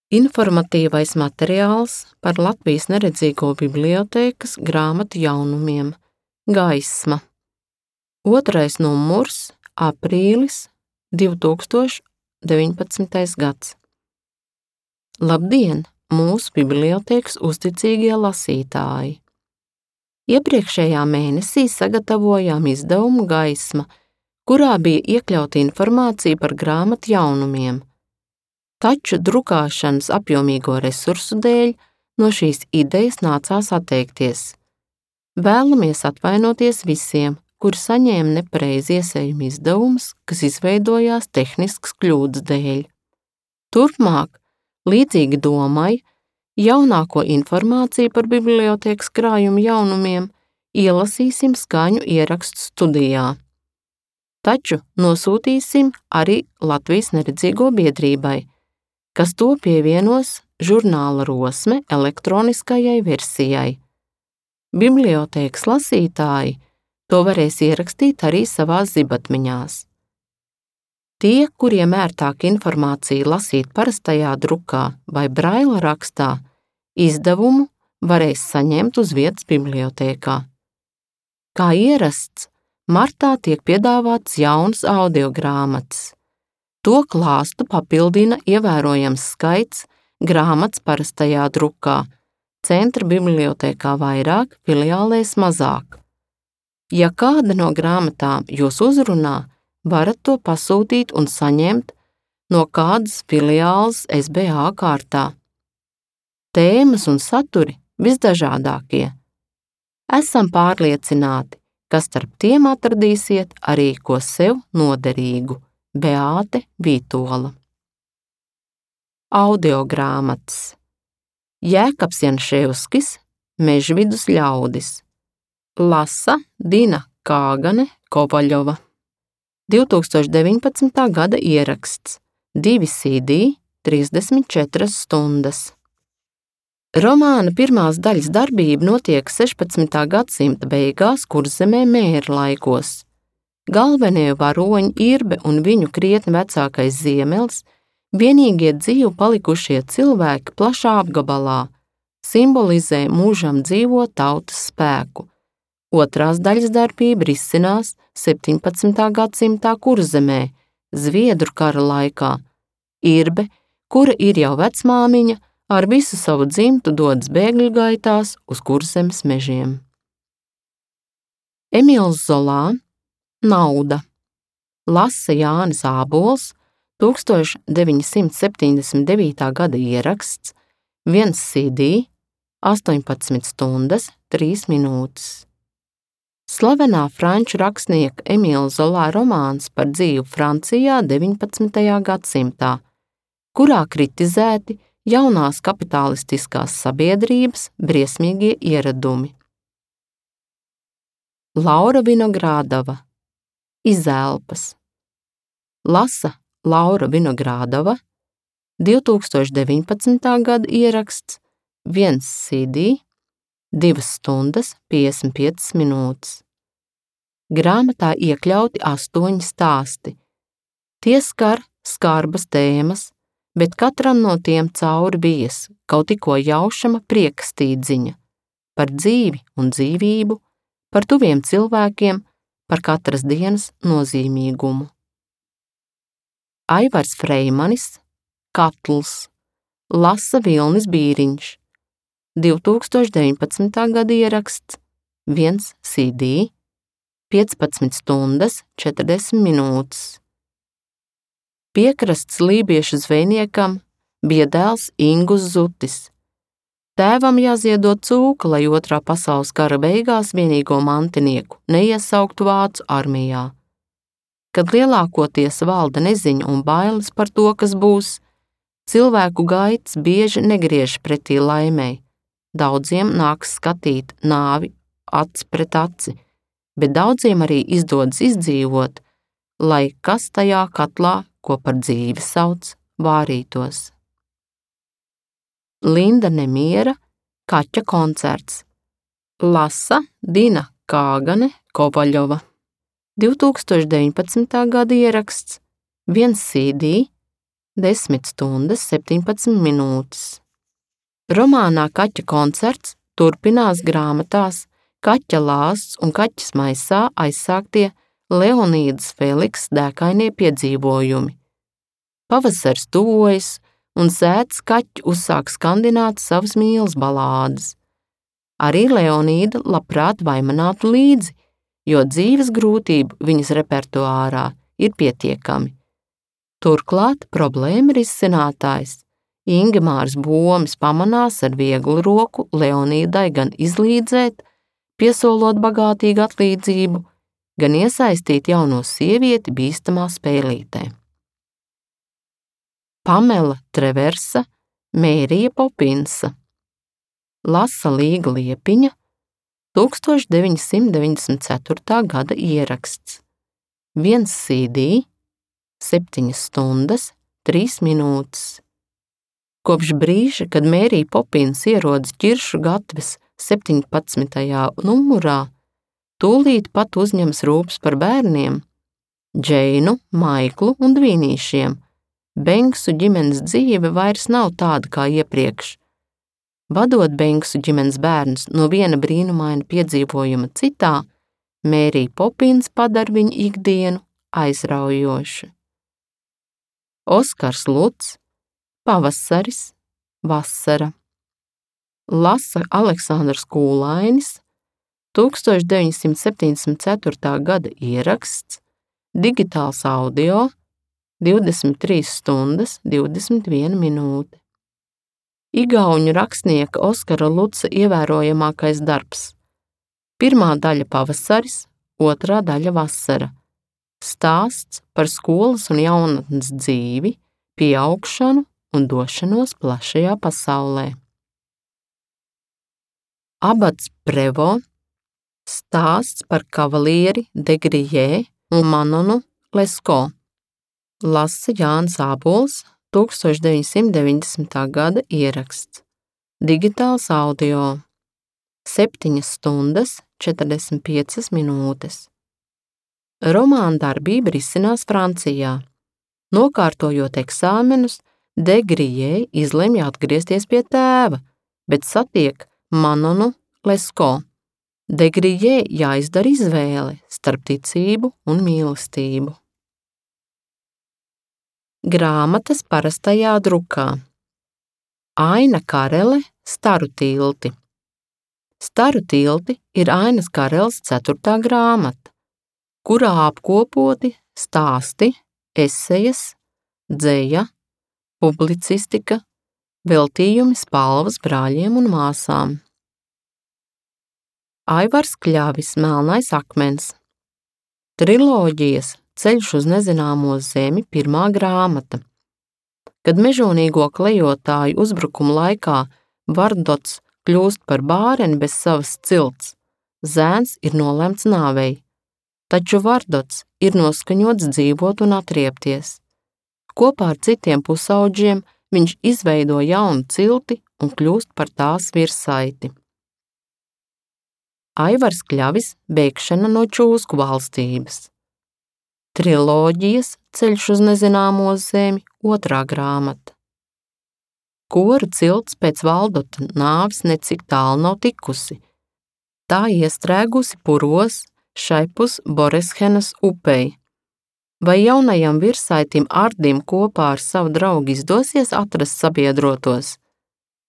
Informatīvais materiāls par Latvijas neredzīgo bibliotēkas grāmatu jaunumiem Gaisma. 2. numurs, aprīlis 2019. gads. Labdien, mūsu bibliotēkas uzticīgie lasītāji! Iepriekšējā mēnesī sagatavojām izdevumu Gaisma, kurā bija iekļauta informācija par grāmatu jaunumiem. Taču drukāšanas apjomīgo resursu dēļ no šīs idejas nācās atteikties. Vēlamies atvainoties visiem, kuri saņēma nepareizi iesējuma izdevumus, kas izveidojās tehniskas kļūdas dēļ. Turpmāk, līdzīgi domai, jaunāko informāciju par bibliotēkas krājumu jaunumiem ielasīsim skaņu ierakstu studijā. Taču nosūtīsim arī Latvijas neredzīgo biedrībai, kas to pievienos žurnāla Rosme elektroniskajai versijai. Bibliotēkas lasītāji to varēs ierakstīt arī savās zibatmiņās. Tie, kuriem ērtāk informāciju lasīt parastajā drukā vai braila rakstā, izdevumu varēs saņemt uz vietas bibliotēkā. Kā ierasts, martā tiek piedāvāts jaunas audiogrāmatas. To klāstu papildina ievērojams skaits grāmatas parastajā drukā, centra bibliotēkā vairāk, filiālēs mazāk. Ja kāda no grāmatām jūs uzrunā, varat to pasūtīt un saņemt no kādas filiāles SBA kārtā. Tēmas un saturi visdažādākie. Esam pārliecināti, ka starp tiem atradīsiet arī ko sev noderīgu. Beāte Vītola. Audiogrāmatas. Jēkabs Janševskis, Mežvidus ļaudis. Lasa Dina Kāgane Kovaļova. 2019. gada ieraksts. 2 CD, 34 stundas. Romāna pirmās daļas darbība notiek 16. gadsimta beigās Kurzemē mēra laikos. Galvenie varoņi Irbe un viņu krietni vecākais Ziemelis, vienīgie dzīvi palikušie cilvēki plašā apgabalā, simbolizē mūžam dzīvo tautas spēku. Otrās daļas darbība risinās 17. gadsimtā Kurzemē, Zviedru kara laikā. Irbe, kura ir jau vecmāmiņa, ar visu savu dzimtu dodas bēgļu gaitās uz Kurzemes mežiem. Emīls Zolā, Nauda. Lasa Jānis Ābols, 1979. gada ieraksts, 1 CD, 18 stundas, 3 minūtes. Slavenā franču rakstnieka Emīla Zolā romāns par dzīvi Francijā 19. gadsimtā, kurā kritizēti jaunās kapitalistiskās sabiedrības briesmīgie ieradumi. Laura Vinogrādova. Izelpas. Lasa Laura Vinogrādova, 2019. gada ieraksts, 1 CD, 2 stundas, 55 minūtes. Grāmatā iekļauti 8 stāsti. Tie skar skarbas tēmas, bet katram no tiem cauri bies kaut tikko jaušama priekstīdziņa par dzīvi un dzīvību, par tuviem cilvēkiem, par katras dienas nozīmīgumu. Aivars Freimanis, Katls. Lasa Vilnis Bīriņš, 2019. gada ieraksts, 1 CD, 15 stundas, 40 minūtes. Piekrasts lībiešu zvejniekam bija dēls Ingus Zutis. Tēvam jāziedot cūka, lai Otrā pasaules kara beigās vienīgo mantinieku neiesauktu vācu armijā. Kad lielākoties valda neziņa un bailes par to, kas būs, cilvēku gaitas bieži negriež pretī laimei. Daudziem nāks skatīt nāvi aci pret aci, bet daudziem arī izdodas izdzīvot, lai kas tajā katlā, ko par dzīvi sauc, vārītos. Linda Nemiera, Kaķa koncerts. Lasa Dina Kāgane Kovaļova. 2019. gada ieraksts, 1 CD, 10:17. Romānā Kaķa koncerts turpinās grāmatās Kaķa lāsts un kaķis maisā aizsāktie Leonīdas Feliks dēkainie piedzīvojumi. Pavasaris tuvojas, un sētas kaķi uzsāk skandināt savas mīlas balādes. Arī Leonīda labprāt vaimanātu līdzi, jo dzīves grūtību viņas repertuārā ir pietiekami. Turklāt problēma risinātājs Ingemārs Bomis pamanās ar vieglu roku Leonīdai gan izlīdzēt, piesolot bagātīgu atlīdzību, gan iesaistīt jauno sievieti bīstamā spēlītē. Pamela Treversa, Mērija Popinsa. Lasa Līga Liepiņa, 1994. gada ieraksts. 1 CD, 7 stundas, 3 minūtes. Kopš brīža, kad Mērija Popins ierodas Ķiršu gatves 17. numurā, tūlīt pat uzņems rūpes par bērniem, Džeinu, Maiklu un dvīnīšiem. Benksu ģimenes dzīve vairs nav tāda kā iepriekš. Vadot Benksu ģimenes bērnus no viena brīnumaina piedzīvojuma citā, Mērija Popins padara viņu ikdienu aizraujošu. Oskars Luts, Pavasaris, vasara. Lasa Aleksandrs Kūlainis, 1974. gada ieraksts, digitāls audio, 23 stundas, 21 minūte. Igauņu rakstnieka Oskara Lutsa ievērojamākais darbs. Pirmā daļa Pavasaris, otrā daļa Vasara. Stāsts par skolas un jaunatnes dzīvi, pieaugšanu un došanos plašajā pasaulē. Abats Prevo, stāsts par kavalieri Degrijē un Manonu Lesko. Lasa Jānis Ābols, 1990. gada ieraksts. Digitāls audio. 7 stundas, 45 minūtes. Romāna darbība risinās Francijā. Nokārtojot eksāmenus, Degrijē izlemj atgriezties pie tēva, bet satiek Manonu Lesko. Degrijē jāizdara izvēle starp ticību un mīlestību. Grāmatas parastajā drukā. Aina Karele, Staru tilti. Staru tilti ir Ainas Kareles 4. grāmata, kurā apkopoti stāsti, esejas, dzeja, publicistika, veltījumi spalvas brāļiem un māsām. Aivars Kļavis, Melnais akmens. Triloģijas Ceļš uz nezināmo zemi 1. grāmata. Kad mežonīgo klejotāju uzbrukuma laikā Vardots kļūst par bāreni bez savas cilts, zēns ir nolemts nāvei, taču Vardots ir noskaņots dzīvot un atriepties. Kopā ar citiem pusaudžiem viņš izveido jaunu cilti un kļūst par tās virsaiti. Aivars Kļavis, Bēgšana no čūsku valstības. Triloģijas Ceļš uz nezināmo zemi 2. grāmata. Kora cilts pēc Valdota nāves necik tālu nav tikusi. Tā iestrēgusi puros šaipus Boreshenas upei. Vai jaunajam virsaitim Ardim kopā ar savu draugu izdosies atrast sabiedrotos?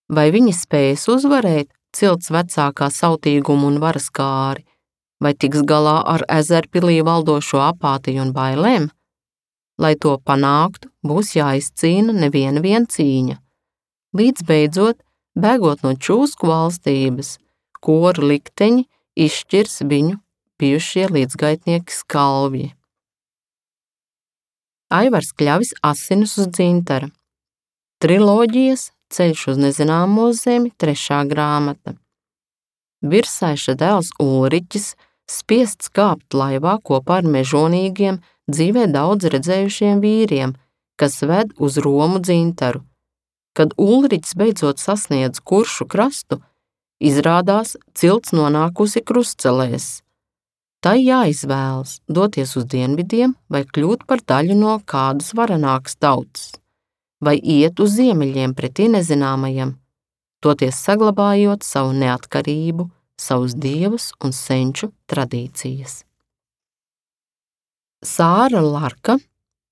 Vai viņi spējas uzvarēt cilts vecākā sautīgumu un varas kāri? Vai tiks galā ar Ezerpilī valdošo apātiju un bailēm? Lai to panāktu, būs jāizcīna neviena cīņa. Līdz beidzot, bēgot no čūsku valstības, koru likteņi izšķirs viņu bijušie līdzgaitnieki skalvji. Aivars Kļavis, Asinis uz dzintara. Triloģijas Ceļš uz nezināmo zemi 3. grāmata. Virsaiša dēls Ulriķis spiests kāpt laivā kopā ar mežonīgiem, dzīvē daudz redzējušiem vīriem, kas ved uz Romu dzintaru. Kad Ulriķis beidzot sasniedz Kuršu krastu, izrādās cilts nonākusi krustcelēs. Tai jāizvēlas doties uz dienvidiem vai kļūt par daļu no kādas varenākas tautas. vai iet uz ziemeļiem pretī nezināmajam, toties saglabājot savu neatkarību, savus dievus un senču tradīcijas. Sāra Larka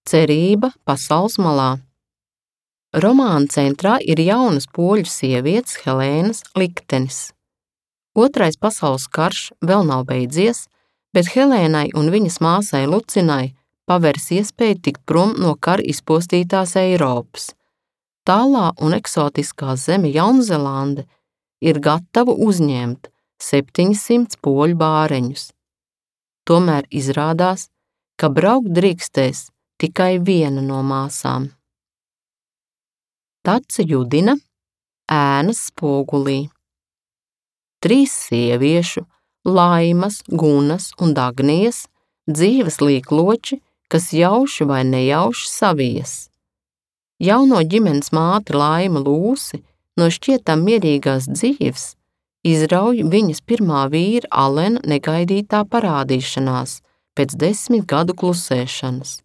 Cerība pasaules malā. Romāna centrā ir jaunas poļu sievietes Helēnas liktenis. Otrais pasaules karš vēl nav beidzies, bet Helēnai un viņas māsai Lucinai paveras iespēju tikt prom no kara izpostītās Eiropas. Tālā un eksotiskā zeme Jaunzelande ir gatava uzņemt 700 poļu bāreņus. Tomēr izrādās, ka braukt drīkstēs tikai viena no māsām. Tace Judina ēnas spogulī. 3 sieviešu, Laimas, Gunas un Dagnijas, dzīves līkloči, kas jauši vai nejauši savies. Jauno ģimenes māte Laima Lūsi no šķietam mierīgās dzīves izrauj viņas pirmā vīra Alena negaidītā parādīšanās pēc 10 gadu klusēšanas.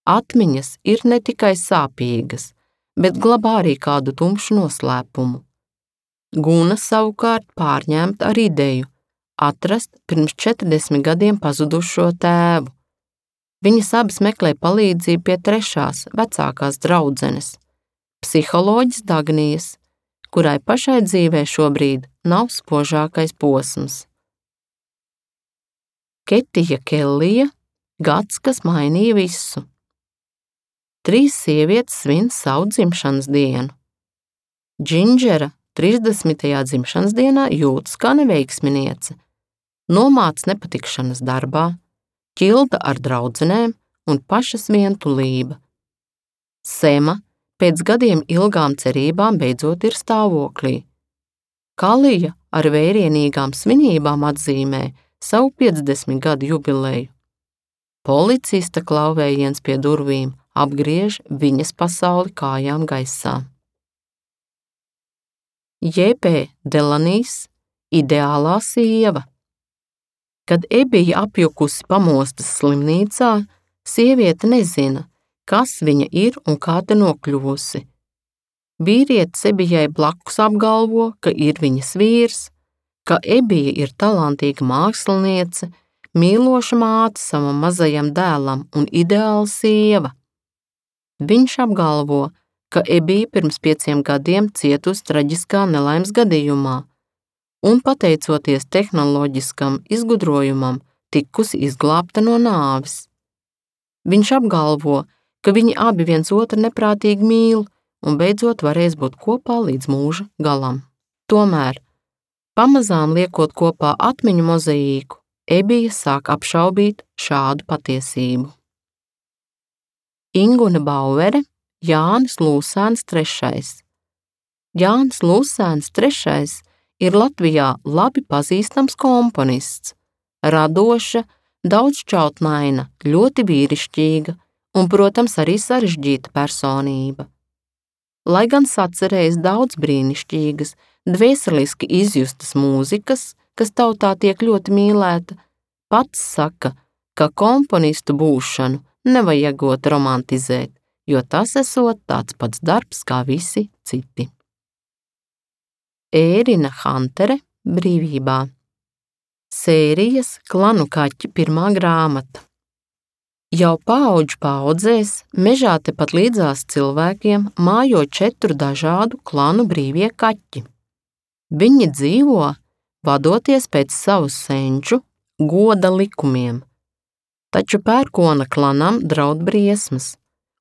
Atmiņas ir ne tikai sāpīgas, bet glabā arī kādu tumšu noslēpumu. Guna savukārt pārņemta ar ideju atrast pirms 40 gadiem pazudušo tēvu. Viņas abas meklē palīdzību pie trešās, vecākās draudzenes, psiholoģis Dagnijas, kurai pašai dzīvē šobrīd nav spožākais posms. Ketija Kellija gads, kas mainīja visu. 3 sievietes svin savu dzimšanas dienu. Džindžera 30. dzimšanas dienā jūtas kā neveiksminiece, nomāc nepatikšanas darbā, ķilda ar draudzenēm un pašas vientulība. Sema pēc gadiem ilgām cerībām beidzot ir stāvoklī. Kalija ar vērienīgām svinībām atzīmē savu 50 gadu jubileju. Policista klauvējiens pie durvīm apgriež viņas pasauli kājām gaisā. J.P. Delanijs ideālā sieva. Kad Ebija apjukusi pamostas slimnīcā, sieviete nezina, kas viņa ir un kā te nokļuvusi. Vīrietis Ebijai blakus apgalvo, ka ir viņas vīrs, ka Ebija ir talantīga māksliniece, mīloša māte savam mazajam dēlam un ideāla sieva. Viņš apgalvo, ka Ebija pirms 5 gadiem cietusi traģiskā nelaimes gadījumā un, pateicoties tehnoloģiskam izgudrojumam, tikusi izglābta no nāves. Viņš apgalvo, ka viņi abi viens otru neprātīgi mīl un beidzot varēs būt kopā līdz mūža galam. Tomēr, pamazām liekot kopā atmiņu mozaīku, Ebija sāk apšaubīt šādu patiesību. Ingune Bauvere, Jānis Lūsēns III. Jānis Lūsēns III ir Latvijā labi pazīstams komponists, radoša, daudzšķautnaina, ļoti vīrišķīga un, protams, arī sarežģīta personība. Lai gan sacerējis daudz brīnišķīgas, dvēseliski izjustas mūzikas, kas tautā tiek ļoti mīlēta, pats saka, ka komponistu būšanu nevajagot romantizēt, jo tas esot tāds pats darbs kā visi citi. Ērina Hantere brīvībā. Sērijas Klanu kaķi 1. grāmata. Jau paudžu paudzēs mežā tepat līdzās cilvēkiem mājo 4 dažādu klanu brīvie kaķi. Viņi dzīvo, vadoties pēc savu senču goda likumiem, taču pērkona klanam draud briesmas,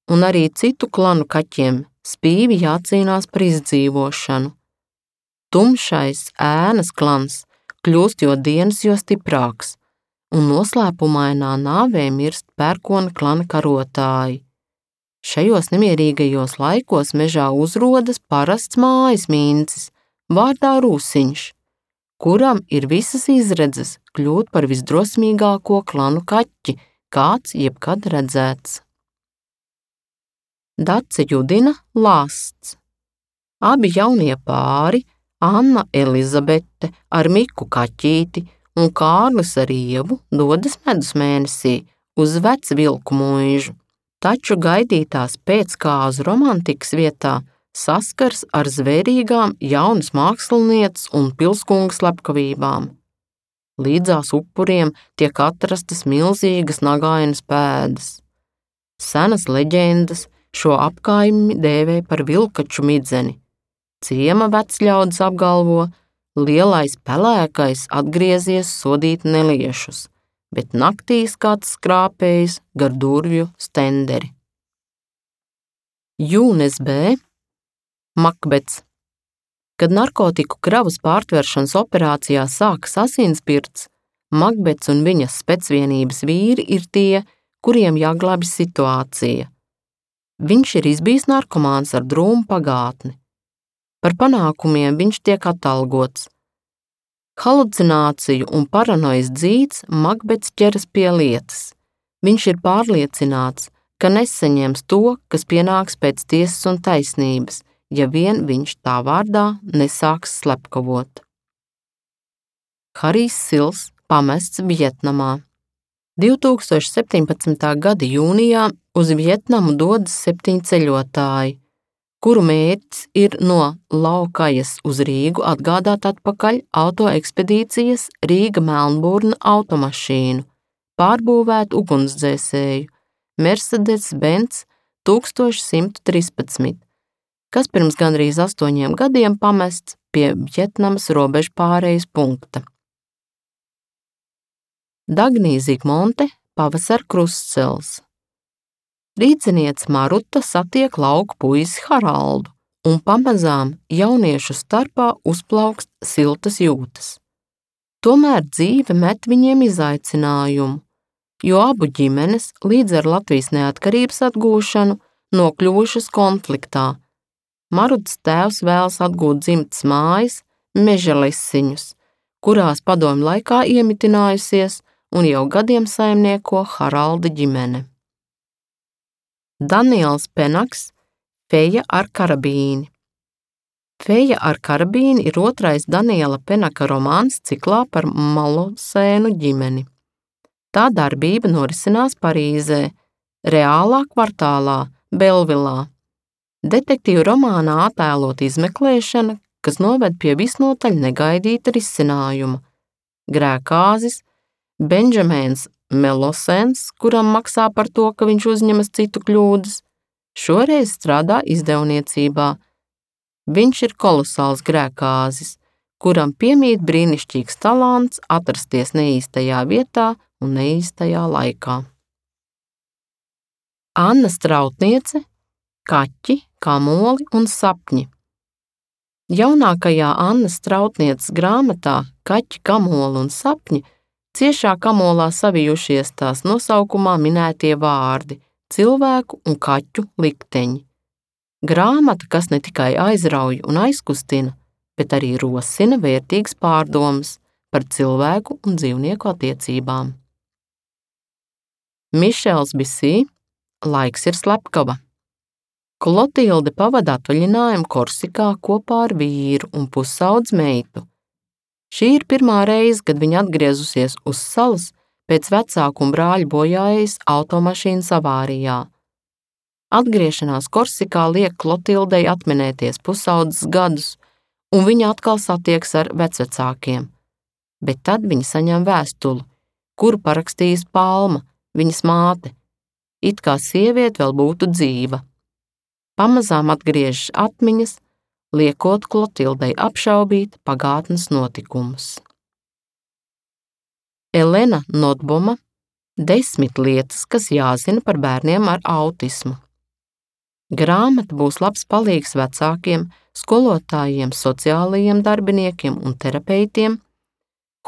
un arī citu klanu kaķiem spīvi jācīnās par izdzīvošanu. Tumšais ēnas klans kļūst jo dienas jo stiprāks, un noslēpumainā nāvē mirst pērkona klana karotāji. Šajos nemierīgajos laikos mežā uzrodas parasts mājas mīncis, vārdā Rūsiņš, kuram ir visas izredzes kļūt par visdrosmīgāko klanu kaķi, kāds jebkad redzēts. Dace Judina Lāsts. Abi jaunie pāri, Anna Elizabete ar Miku kaķīti un Kārlis ar Ievu, dodas medus mēnesī uz Vecvilku mūžu, taču gaidītās pēckāzu romantikas vietā saskars ar zvērīgām jaunas mākslinieces un pilskunga slepkavībām. Līdzās upuriem tiek atrastas milzīgas nagainas pēdas. Senas leģendas šo apkaimi dēvē par vilkaču midzeni. Ciema vecļaudis apgalvo, lielais pelēkais atgriezies sodīt neliešus, bet naktīs kāds skrāpējis gar durvju stenderi. Jūnes B. Makbets. Kad narkotiku kravas pārtveršanas operācijā sākas asinsspirts, Makbets un viņas specvienības vīri ir tie, kuriem jāglābj situācija. Viņš ir izbijis narkomāns ar drūmu pagātni. Par panākumiem viņš tiek atalgots. Halucināciju un paranojas dzīts Makbets ķeras pie lietas. Viņš ir pārliecināts, ka nesaņems to, kas pienāks pēc tiesas un taisnības, ja vien viņš tā vārdā nesāks slepkavot. Harijs Sils pamests Vjetnamā. 2017. gada jūnijā uz Vjetnamu dodas 7 ceļotāji, kuru mērķis ir no Laukajas uz Rīgu atgādāt atpakaļ autoekspedīcijas Rīga-Melnburna automašīnu, pārbūvēt ugunsdzēsēju Mercedes-Benz 1113, kas pirms gandrīz 8 gadiem pamests pie Vjetnamas robežu pārejas punkta. Dagnija Zigmonte pavasara krustcels. Rīdziniece Maruta satiek lauku puisi Haraldu, un pamazām jauniešu starpā uzplaukst siltas jūtas. Tomēr dzīve met viņiem izaicinājumu, jo abu ģimenes līdz ar Latvijas neatkarības atgūšanu nokļuvušas konfliktā. Marutas tēvs vēlas atgūt dzimtas mājas, Mežalesiņus, kurās padomju laikā iemitinājusies un jau gadiem saimnieko Haralda ģimene. Daniels Penaks, Feja ar karabīni. Feja ar karabīni ir otrais Daniela Penaka romāns ciklā par Malosēnu ģimeni. Tā darbība norisinās Parīzē, reālā kvartālā, Belvilā. Detektīvu romānā attēlot izmeklēšana, kas noved pie visnotaļ negaidīta risinājuma. Grēkāzis, Benžamēns Melosens, kuram maksā par to, ka viņš uzņemas citu kļūdas, šoreiz strādā izdevniecībā. Viņš ir kolosāls grēkāzis, kuram piemīt brīnišķīgs talants atrasties neīstajā vietā un neīstajā laikā. Anna Strautniece, Kaķi, kamoli un sapņi. Jaunākajā Annas Strautnieces grāmatā Kaķi, kamoli un sapņi ciešā kamolā savijušies tās nosaukumā minētie vārdi – cilvēku un kaķu likteņi. Grāmata, kas ne tikai aizrauj un aizkustina, bet arī rosina vērtīgas pārdomas par cilvēku un dzīvnieku attiecībām. Mišels Bisī, Laiks ir slepkava. Klotilde pavada atvaļinājumu Korsikā kopā ar vīru un pusaudz meitu. Šī ir pirmā reize, kad viņa atgriezusies uz salas pēc vecāku un brāļu bojājas automašīnas avārijā. Atgriešanās Korsikā liek Klotildei atminēties pusaudzes gadus, un viņa atkal satieks ar vecvecākiem. Bet tad viņa saņem vēstuli, kuru parakstījis Palma, viņas māte, it kā sieviete vēl būtu dzīva. Pamazām atgriežas atmiņas, liekot Klotildei apšaubīt pagātnes notikumus. Elena Notboma, 10 lietas, kas jāzina par bērniem ar autismu. Grāmata būs labs palīgs vecākiem, skolotājiem, sociālajiem darbiniekiem un terapeitiem.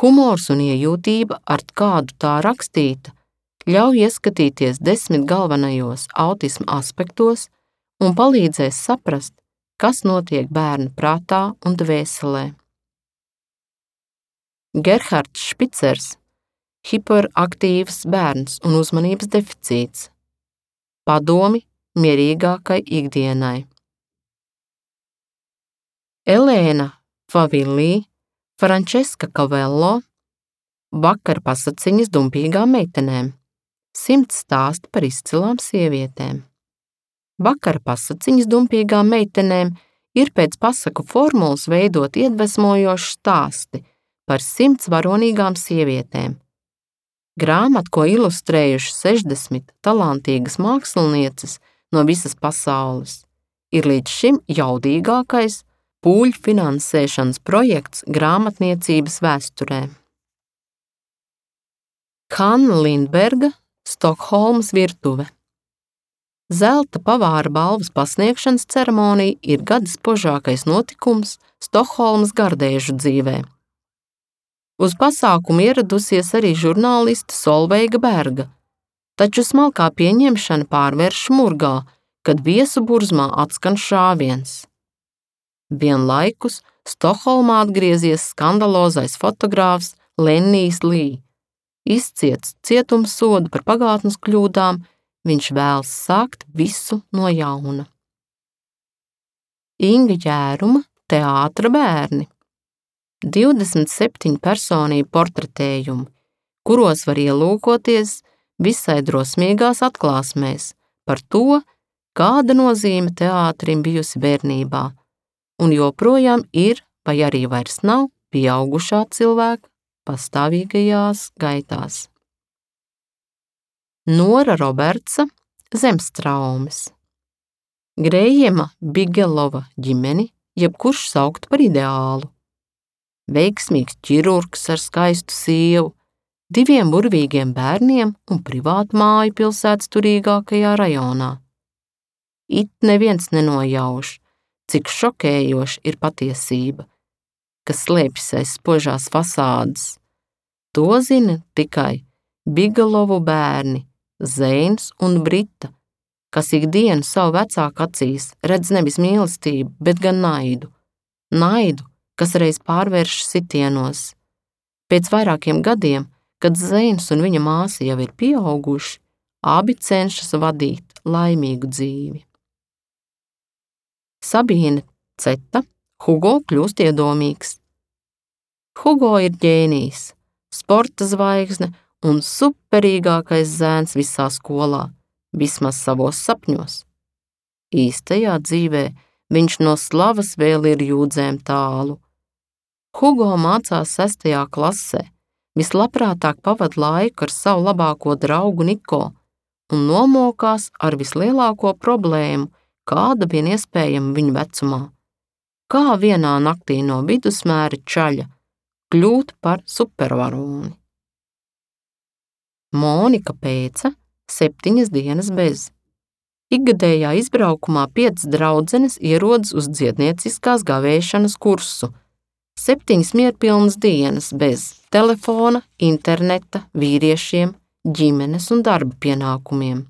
Humors un iejūtība, ar kādu tā rakstīta, ļauj ieskatīties 10 galvenajos autisma aspektos un palīdzēs saprast, kas notiek bērna prātā un dvēselē. Gerhards Špicers, hiperaktīvs bērns un uzmanības deficīts. Padomi mierīgākai ikdienai. Elēna Favilī, Frančeska Kavello, vakar pasaciņas dumpīgām meitenēm. 100 stāsti par izcilām sievietēm. Vakara pasaciņas dumpīgām meitenēm ir pēc pasaku formulas veidot iedvesmojoši stāsti par 100 varonīgām sievietēm. Grāmata, ko ilustrējuši 60 talantīgas mākslinieces no visas pasaules, ir līdz šim jaudīgākais pūļu finansēšanas projekts grāmatniecības vēsturē. Hanna Lindberga, Stokholmas virtuve. Zelta pavāra balvas pasniegšanas ceremonija ir gada spožākais notikums Stokholmas gardēžu dzīvē. Uz pasākumu ieradusies arī žurnāliste Solveiga Berga, taču smalkā pieņemšana pārvērš murgā, kad viesu burzmā atskan šāviens. Vienlaikus Stokholmā atgriezies skandalozais fotogrāfs Lennijs Lī. Izciets cietumsodu par pagātnes kļūdām, viņš vēlas sākt visu no jauna. Inga Jēruma, Teātra bērni. 27 personību portretējumi, kuros var ielūkoties visai drosmīgās atklāsmēs par to, kāda nozīme teātrim bijusi bērnībā, un joprojām ir, vai arī vairs nav, pieaugušā cilvēka pastāvīgajās gaitās. Nora Robertsa, Zemstraumes. Grējema Bigelova ģimeni jebkurš saukt par ideālu. Veiksmīgs ķirurgs ar skaistu sievu, 2 burvīgiem bērniem un privātu māju pilsētas turīgākajā rajonā. It neviens nenojauš, cik šokējoša ir patiesība, kas slēpjas aiz spožās fasādes. To zina tikai Bigelovu bērni, Zeins un Brita, kas ikdienu savu vecāku acīs redz nevis mīlestību, bet gan naidu. Naidu, kas reiz pārvērš sitienos. Pēc vairākiem gadiem, kad Zeins un viņa māsa jau ir pieauguši, abi cenšas vadīt laimīgu dzīvi. Sabīne Ceta, Hugo kļūst iedomīgs. Hugo ir ģēnijs, sporta zvaigzne un superīgākais zēns visā skolā, vismaz savos sapņos. Īstajā dzīvē viņš no slavas vēl ir jūdzēm tālu. Hugo mācās 6. klasē, vislabprātāk pavad laiku ar savu labāko draugu Niko un nomokās ar vislielāko problēmu, kāda vien iespējama viņa vecumā. Kā vienā naktī no vidusmēra čaļa kļūt par supervaroni. Monika Pēca, 7 dienas bez. Ikgadējā izbraukumā 5 draudzenes ierodas uz dziednieciskās gavēšanas kursu. 7 mierpilnas dienas bez telefona, interneta, vīriešiem, ģimenes un darba pienākumiem.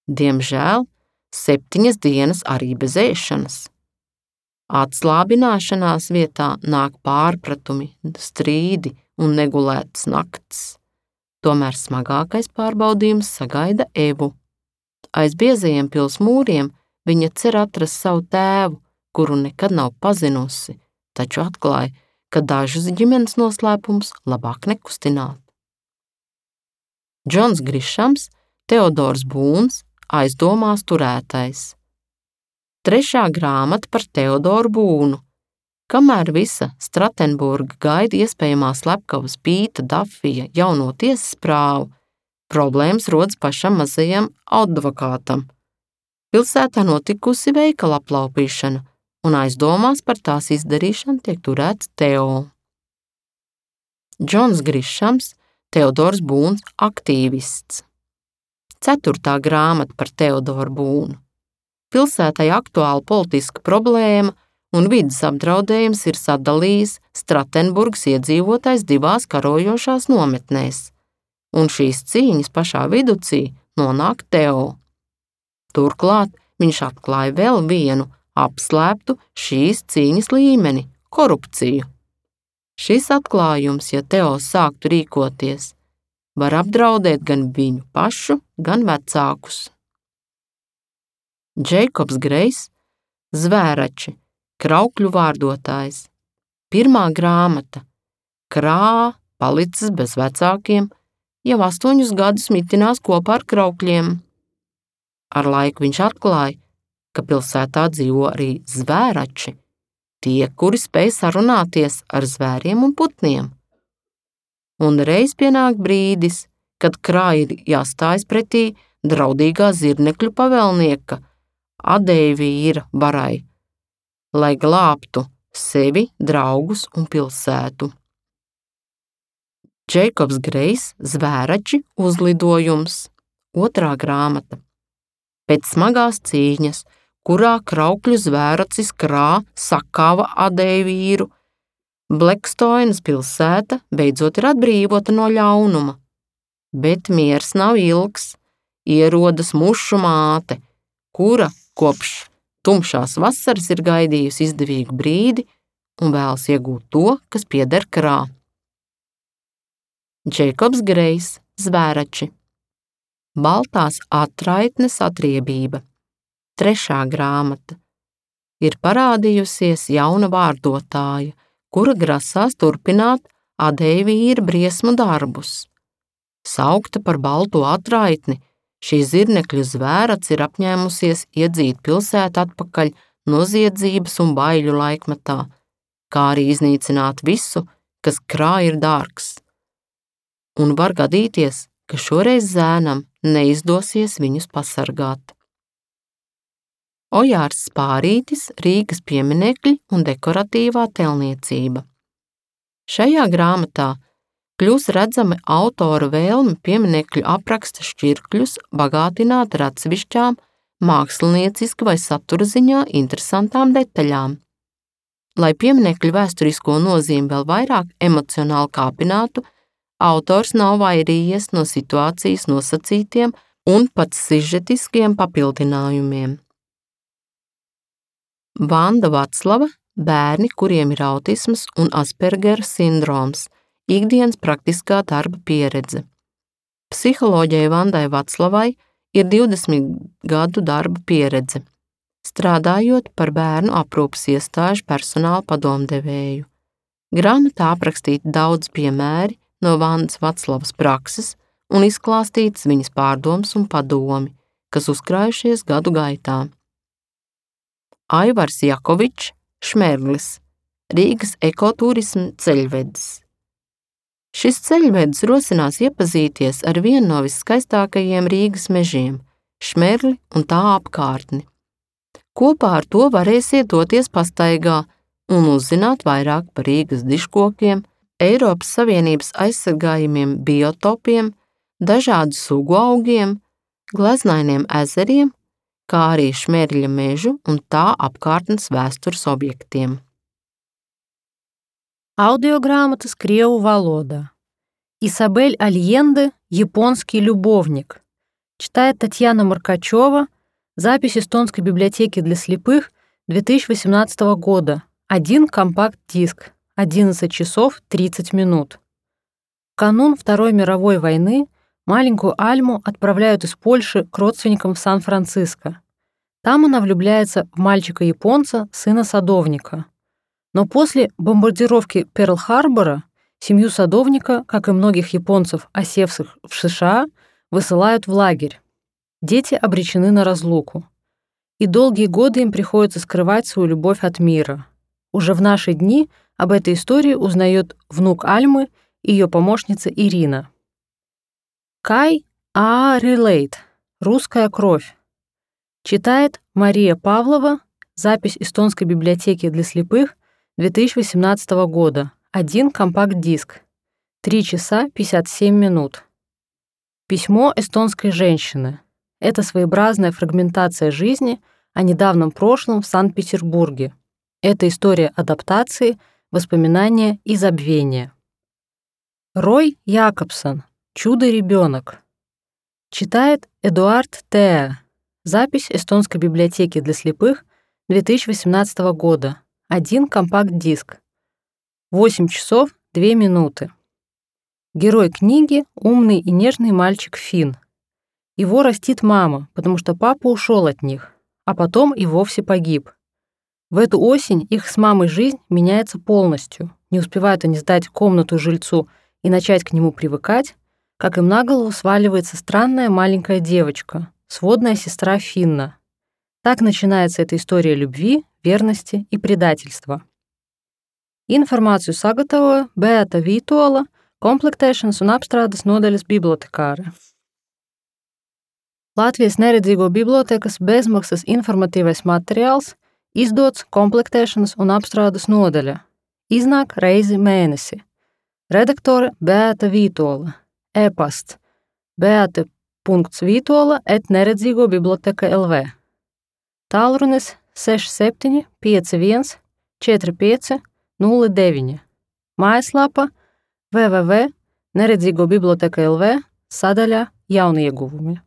Diemžēl 7 dienas arī bez ēšanas. Atslābināšanās vietā nāk pārpratumi, strīdi un negulētas naktis. Tomēr smagākais pārbaudījums sagaida Evu. Aiz biezajiem pils mūriem viņa cer atrast savu tēvu, kuru nekad nav pazinusi, taču atklāja, ka dažus ģimenes noslēpumus labāk nekustināt. Džons Grišams, Teodors Būns, aizdomās turētais. 3. grāmata par Teodoru Būnu. Kamēr visa Stratenburga gaida iespējamā slepkavas Pīta Dafija jauno tiesas prāvu, problēmas rodas pašam mazajam advokātam. Pilsētā notikusi veikala aplaupīšana, un aizdomās par tās izdarīšanu tiek turēts Teo. Džons Grišams, Teodors Būns, aktīvists. 4. grāmata par Teodoru Būnu. Pilsētai aktuāla politiska problēma un vides apdraudējums ir sadalījis Stratenburgas iedzīvotājs 2 karojošās nometnēs, un šīs cīņas pašā viducī nonāk Teo. Turklāt viņš atklāja vēl vienu apslēptu šīs cīņas līmeni – korupciju. Šis atklājums, ja Teo sāktu rīkoties, var apdraudēt gan viņu pašu, gan vecākus. Džeikobs Grejs, Zvērači, kraukļu vārdotājs. 1. grāmata. Krā palicis bez vecākiem, jau 8 gadus mitinās kopā ar kraukļiem. Ar laiku viņš atklāja, ka pilsētā dzīvo arī zvērači, tie, kuri spēj sarunāties ar zvēriem un putniem. Un reiz pienāk brīdis, kad krāj ir jāstājas pretī draudīgā zirnekļu pavēlnieka Adeivīra barai, lai glābtu sevi, draugus un pilsētu. Džeikobs Grejs, Zvērači uzlidojums, 2. grāmata. Pēc smagās cīņas, kurā kraukļu zvēracis Krā sakāva Adeivīru, Blekstoinas pilsēta beidzot ir atbrīvota no ļaunuma. Bet miers nav ilgs, ierodas mušu māte, kura kopš tumšās vasaras ir gaidījusi izdevīgu brīdi un vēlas iegūt to, kas pieder Krā. Džeikobs Grejs, Zvērači. Baltās atraitnes atriebība, 3. grāmata. Ir parādījusies jauna vārdotāja, kura grasās turpināt Adeivīra briesmu darbus. Saukta par balto atraitni, šī zirnekļu zvērats ir apņēmusies iedzīt pilsētu atpakaļ noziedzības un baiļu laikmetā, kā arī iznīcināt visu, kas Krā ir dārgs. Un var gadīties, ka šoreiz zēnam neizdosies viņus pasargāt. Ojārs Spārītis, Rīgas pieminekļi un dekoratīvā telniecība. Šajā grāmatā kļūs redzami autora vēlme pieminekļu apraksta šķirkļus bagātināt ar atsevišķām mākslinieciski vai satura ziņā interesantām detaļām. Lai pieminekļu vēsturisko nozīmi vēl vairāk emocionāli kāpinātu, autors nav vairījies no situācijas nosacītiem un pat sižetiskiem papildinājumiem. Vanda Vaclava, bērni, kuriem ir autisms un Aspergera sindroms, ikdienas praktiskā darba pieredze. Psiholoģijai Vandai Vaclavai ir 20 gadu darba pieredze, strādājot par bērnu aprūpes iestāžu personāla padomdevēju. Grāmatā aprakstīti daudz piemēri no Vandas Vaclavas prakses un izklāstītas viņas pārdomas un padomi, kas uzkrājušies gadu gaitā. Aivars Jakovičs, Šmerlis, Rīgas ekoturisma ceļvedis. Šis ceļvedis rosinās iepazīties ar vienu no viskaistākajiem Rīgas mežiem, Šmerli un tā apkārtni. Kopā ar to varēsiet doties pastaigā un uzzināt vairāk par Rīgas dižkokiem, Eiropas Savienības aizsargājumiem biotopiem, dažādu sugu augiem, gleznainiem ezeriem, kā arī Šmerļa mežu un tā apkārtnes vēstures objektiem. Аудиограмота крievu валода. Исабель Альенде «Японский любовник». Читает Татьяна Маркачева. Запись Эстонской библиотеки для слепых 2018 года. 1 компакт-диск. 11 часов 30 минут. В канун Второй мировой войны маленькую Альму отправляют из Польши к родственникам в Сан-Франциско. Там она влюбляется в мальчика-японца, сына садовника. Но после бомбардировки Перл-Харбора семью садовника, как и многих японцев, осевших в США, высылают в лагерь. Дети обречены на разлуку. И долгие годы им приходится скрывать свою любовь от мира. Уже в наши дни об этой истории узнает внук Альмы и ее помощница Ирина. Кай Релейт. Русская кровь. Читает Мария Павлова. Запись Эстонской библиотеки для слепых 2018 года. 1 компакт-диск. 3 часа 57 минут. Письмо эстонской женщины. Это своеобразная фрагментация жизни о недавнем прошлом в Санкт-Петербурге. Это история адаптации, воспоминания и забвения. Рой Якобсон. «Чудо-ребенок». Читает Эдуард Теа. Запись Эстонской библиотеки для слепых 2018 года. 1 компакт-диск. 8 часов 2 минуты. Герой книги — умный и нежный мальчик Финн. Его растит мама, потому что папа ушел от них, а потом и вовсе погиб. В эту осень их с мамой жизнь меняется полностью. Не успевают они сдать комнату жильцу и начать к нему привыкать, как им на голову сваливается странная маленькая девочка, сводная сестра Финна. Так начинается эта история любви, верности и предательства. Informāciju sagatavoja Beata Vītola, komplektēšanas un apstrādes nodaļas bibliotekāre. Latvijas neredzīgo bibliotekas bezmaksas informatīvais materiāls izdots komplektēšanas un apstrādes nodaļa. Iznāk reizi mēnesi. Redaktore Beata Vītola. E-pasts beata.vītola@neredzīgobiblioteka.lv. Tālrunis 67 51 45 09. Mājaslapa www.neredzīgobiblioteka.lv sadaļā Jauni ieguvumi.